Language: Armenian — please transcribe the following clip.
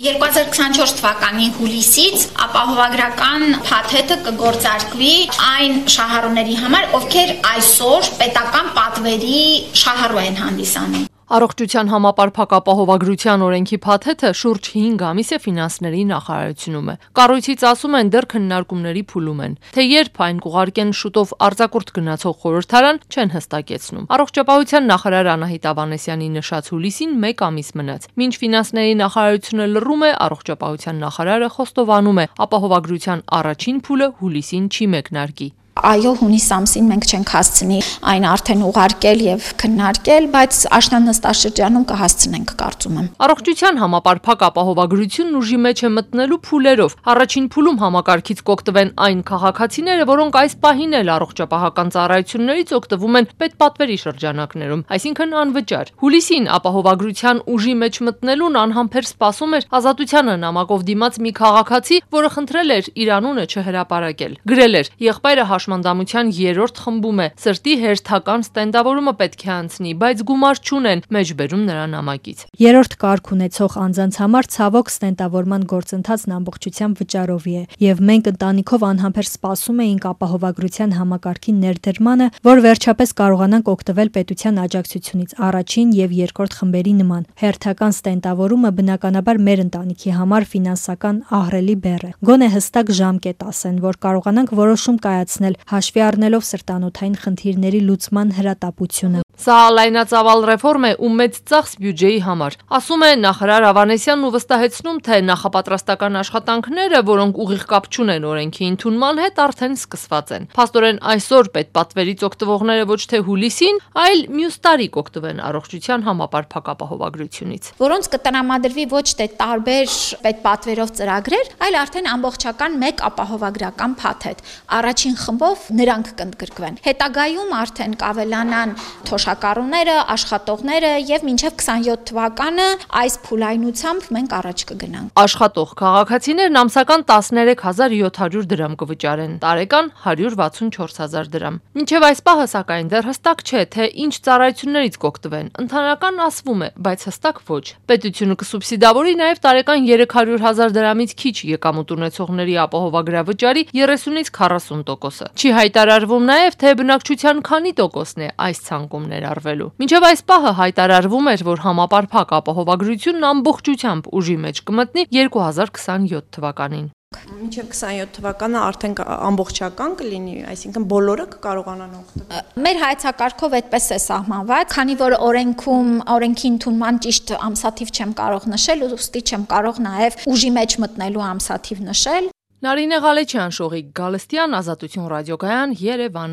2024 թվականի հուլիսից ապահովագրական փաթեթը կգործարկվի այն շահառուների համար, ովքեր այսօր պետական պատվերի շահառու են հանդիսանում։ Առողջության համապարփակ ապահովագրության օրենքի փաթեթը շուրջ 5 ամիս է ֆինանսների նախարարությունում է։ Կառույցից ասում են դեռ քննարկումների փուլում են, թե երբ այն կուղարկեն շուտով արձակուրդ գնացող խորհրդարան չեն հստակեցնում։ Առողջապահության նախարար Անահիտ Ավանեսյանի նշած հուլիսին 1 ամիս մնաց։ Մինչ ֆինանսների նախարարությունը լռում է, առողջապահության նախարարը խոստովանում է, ապահովագրության առաջին փուլը հուլիսին չի մեկնարկի։ Այո, հունիս ամսին մենք չենք հասցնի այն արդեն ուղարկել եւ քննարկել, բայց աշնան-նստաշրջանում կհասցնենք, կարծում եմ։ Առողջության համապարփակ ապահովագրությունն ուժի մեջ է մտնելու փուլերով։ Առաջին փուլում համակարգից կօգտվեն այն քաղաքացիները, որոնք այս պահին էլ առողջապահական ծառայություններից օգտվում են պետպատվերի շրջանակներում, այսինքն անվճար։ Հուլիսին ապահովագրության ուժի մեջ մտնելուն անհամբեր սպասում էր Ազատությանը նամակով դիմաց մի քաղաքացի, որը խնդրել էր իր անունը չհրապարակել։ Գրել էր. «Եղբայրը հաշմանդամության 3-րդ խմբում է, սրտի հերթական ստենդավորումը պետք է անցնի, բայց գումար չունեն», մեջբերում նրա նամակից։ 3-րդ կարգ ունեցող անձանց համար ցավոք ստենդավորման գործընթացն ամբողջությամբ վճարովի է, եւ մենք ընտանիքով անհամբեր սպասում էինք ապահովագրության համակարգի ներդրմանը, որ վերջապես կարողանանք օգտվել պետության աջակցությունից առաջին եւ երկրորդ խմբերի նման։ Հերթական ստենդավորումը բնականաբար մեր ընտանիքի համար ֆինանսական ահռելի բեռ է։ Գոնե հստակ ժամկետ ասեն, որ կարողանանք որոշում կայացնել, հաշվի առնելով սրտանոթային խնդիրների լուծման հրատապությունը։ Սա լայնածավալ ռեֆորմ է ու մեծ ծախս բյուջեի համար, ասում է նախարար Ավանեսյանն ու վստահեցնում, թե նախապատրաստական աշխատանքները, որոնք ուղիղ կապ չունեն օրենքի ընդունման հետ, արդեն սկսված են։ Փաստորեն այսօր պետպատվերից օգտվողները ոչ թե հուլիսին, այլ մյուս տարի կօգտվեն առողջության համապարփակ ապահովագրությունից, որոնց կտրամադրվի ոչ թե տարբեր պետպատվերով ծրագրեր, այլ արդեն ամբողջական մեկ ապահովագրական փաթեթ։ Առաջին խմբով նրանք կընդգրկվեն։ Հետագայում արդեն կավելանան թոշակառուները, աշխատողները եւ մինչեւ 27 թվականը այս փուլայնությամբ մենք առաջ կգնանք։ Աշխատող քաղաքացիներն ամսական 13700 դրամ կվճարեն, տարեկան 164,000 դրամ։ Մինչեւ այս պահը սակայն դեռ հստակ չէ, թե ինչ ծառայություններից կօգտվեն։ Ընդհանրական ասվում է, բայց հստակ ոչ։ Պետությունը կսուբսիդավորի նաեւ տարեկան 300,000 դրամից քիչ եկամուտ ունեցողների ապահովագրավճարի 30-ից 40%-ը։ Չի հայտարարվում նաև, թե բնակչության քանի տոկոսն է այս ցանկում ներառվելու։ Մինչև այս պահը հայտարարվում էր, որ համապարփակ ապահովագրությունն ամբողջությամբ ուժի մեջ կմտնի 2027 թվականին։ Մինչև 27 թվականը արդեն ամբողջական կլինի, այսինքն բոլորը կկարողանան օգտվել։ Մեր հայեցակարգով այդպես է սահմանված, քանի որ օրենքի ընդունման ճիշտ ամսաթիվ չեմ կարող նշել, ուստի չեմ կարող նաև ուժի մեջ մտնելու ամսաթիվ նշել։ Նարինե Ղալեչյան, Շողիկ Գալստյան, Ազատություն ռադիոկայան, Երևան։